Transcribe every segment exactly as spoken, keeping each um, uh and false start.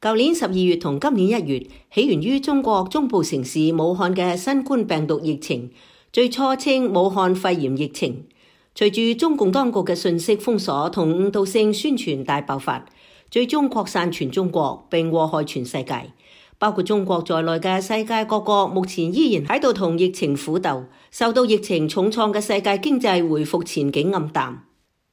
舊年十二月同今年一月，起源於中國中部城市武漢嘅新冠病毒疫情，最初稱武漢肺炎疫情。隨住中共當局嘅信息封鎖同誤導性宣傳大爆發，最終擴散全中國並禍害全世界。包括中國在內嘅世界各國目前依然喺度同疫情苦鬥，受到疫情重創嘅世界經濟回復前景暗淡。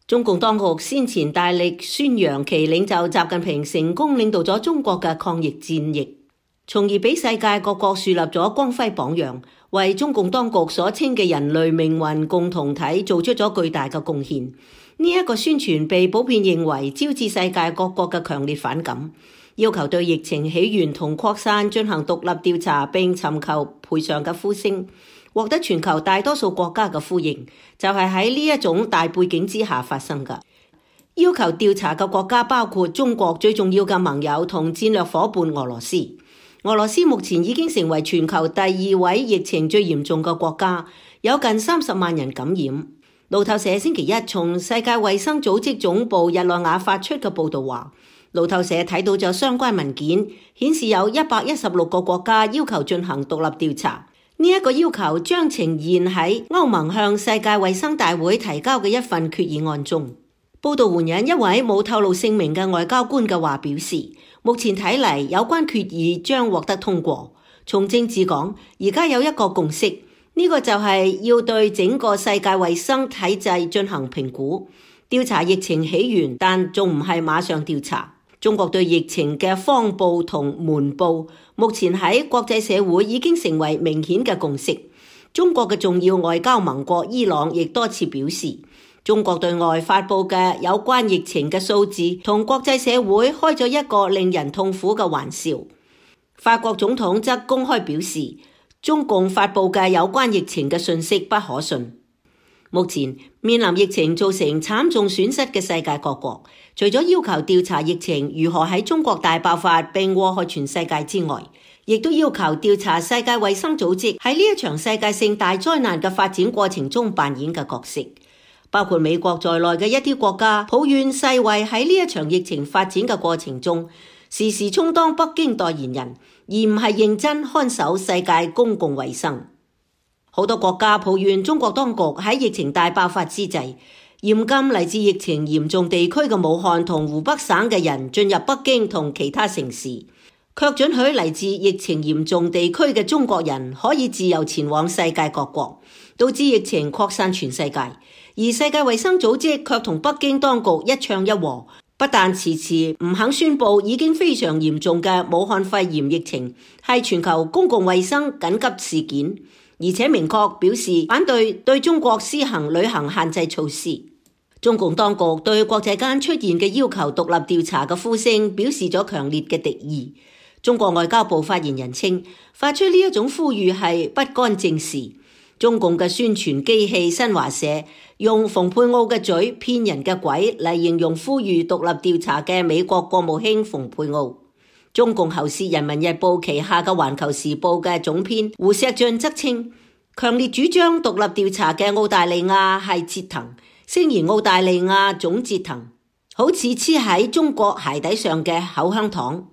中共當局先前大力宣揚其領袖習近平成功領導咗中國嘅抗疫戰役，從而俾世界各國樹立咗光輝榜樣，為中共當局所稱嘅人類命運共同體做出咗巨大嘅貢獻。呢、這、一個宣傳被普遍認為招致世界各國嘅強烈反感，要求對疫情起源同擴散進行獨立調查並尋求賠償嘅呼聲，獲得全球大多數國家嘅呼應，就係喺呢一種大背景之下發生嘅。要求調查嘅國家包括中國最重要嘅盟友同戰略夥伴俄羅斯。俄羅斯目前已經成為全球第二位疫情最嚴重嘅國家，有近三十萬人感染。路透社星期一從世界衛生組織總部日內瓦發出嘅報道話，路透社睇到咗相關文件，顯示有一百一十六個國家要求進行獨立調查。呢、這、一個要求將呈現喺歐盟向世界衛生大會提交嘅一份決議案中。報道援引一位冇透露姓名嘅外交官嘅話表示，目前睇嚟有關決議將獲得通過。從政治講，而家有一個共識，呢、這個就係要對整個世界衛生體制進行評估，調查疫情起源，但仲唔係馬上調查。中國對疫情嘅謊報同瞞報，目前喺國際社會已經成為明顯嘅共識。中國嘅重要外交盟國伊朗亦多次表示，中國對外發佈嘅有關疫情嘅數字同國際社會開咗一個令人痛苦嘅玩笑。法國總統則公開表示，中共發佈嘅有關疫情嘅信息不可信。目前面臨疫情造成慘重損失嘅世界各國，除咗要求調查疫情如何喺中國大爆發並禍害全世界之外，亦都要求調查世界衛生組織喺呢一場世界性大災難嘅發展過程中扮演嘅角色。包括美國在內嘅一啲國家抱怨世衛喺呢一場疫情發展嘅過程中，時時充當北京代言人，而唔係認真看守世界公共衛生。好多國家抱怨中國當局喺疫情大爆發之際，嚴禁嚟自疫情嚴重地區嘅武漢同湖北省嘅人進入北京同其他城市，卻准許嚟自疫情嚴重地區嘅中國人可以自由前往世界各國，導致疫情擴散全世界。而世界衛生組織卻同北京當局一唱一和，不但遲遲唔肯宣布已經非常嚴重嘅武漢肺炎疫情係全球公共衛生緊急事件，而且明確表示反對對中國施行旅行限制措施。中共當局對國際間出現嘅要求獨立調查嘅呼聲表示咗強烈嘅敵意。中國外交部發言人稱，發出呢一種呼籲係不干正事。中共嘅宣傳機器新華社用蓬佩奧嘅嘴騙人嘅鬼嚟形容呼籲獨立調查嘅美國國務卿蓬佩奧。中共喉舌人民日報旗下嘅環球時報嘅總編胡錫進則稱，強烈主張獨立調查嘅澳大利亞係折騰，聲言澳大利亞總折騰，好似黐喺中國鞋底上嘅口香糖。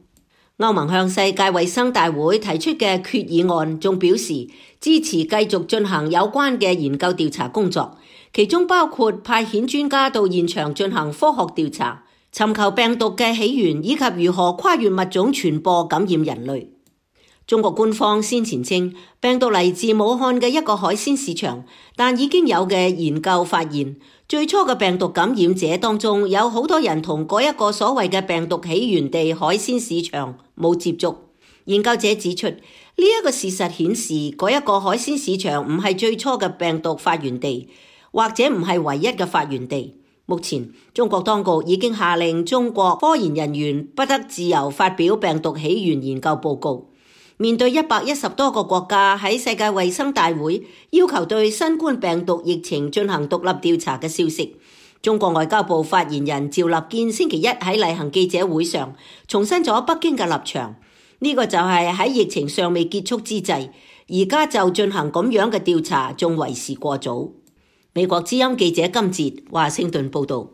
歐盟向世界衛生大會提出嘅決議案仲表示支持繼續進行有關嘅研究調查工作，其中包括派遣專家到現場進行科學調查，尋求病毒嘅起源以及如何跨越物種傳播感染人類。中國官方先前稱病毒嚟自武漢嘅一個海鮮市場，但已經有嘅研究發現，最初嘅病毒感染者當中有好多人同嗰一個所謂嘅病毒起源地海鮮市場冇接觸。研究者指出，呢一個事實顯示嗰一個海鮮市場唔係最初嘅病毒發源地，或者唔係唯一嘅發源地。目前中國當局已經下令中國科研人員不得自由發表病毒起源研究報告。面對一百一十多個國家喺世界衛生大會要求對新冠病毒疫情進行獨立調查嘅消息，中國外交部發言人趙立堅星期一喺例行記者會上重申咗北京嘅立場。呢個就係喺疫情尚未結束之際，而家就進行咁樣嘅調查，仲為時過早。美國之音記者金哲華盛頓報道。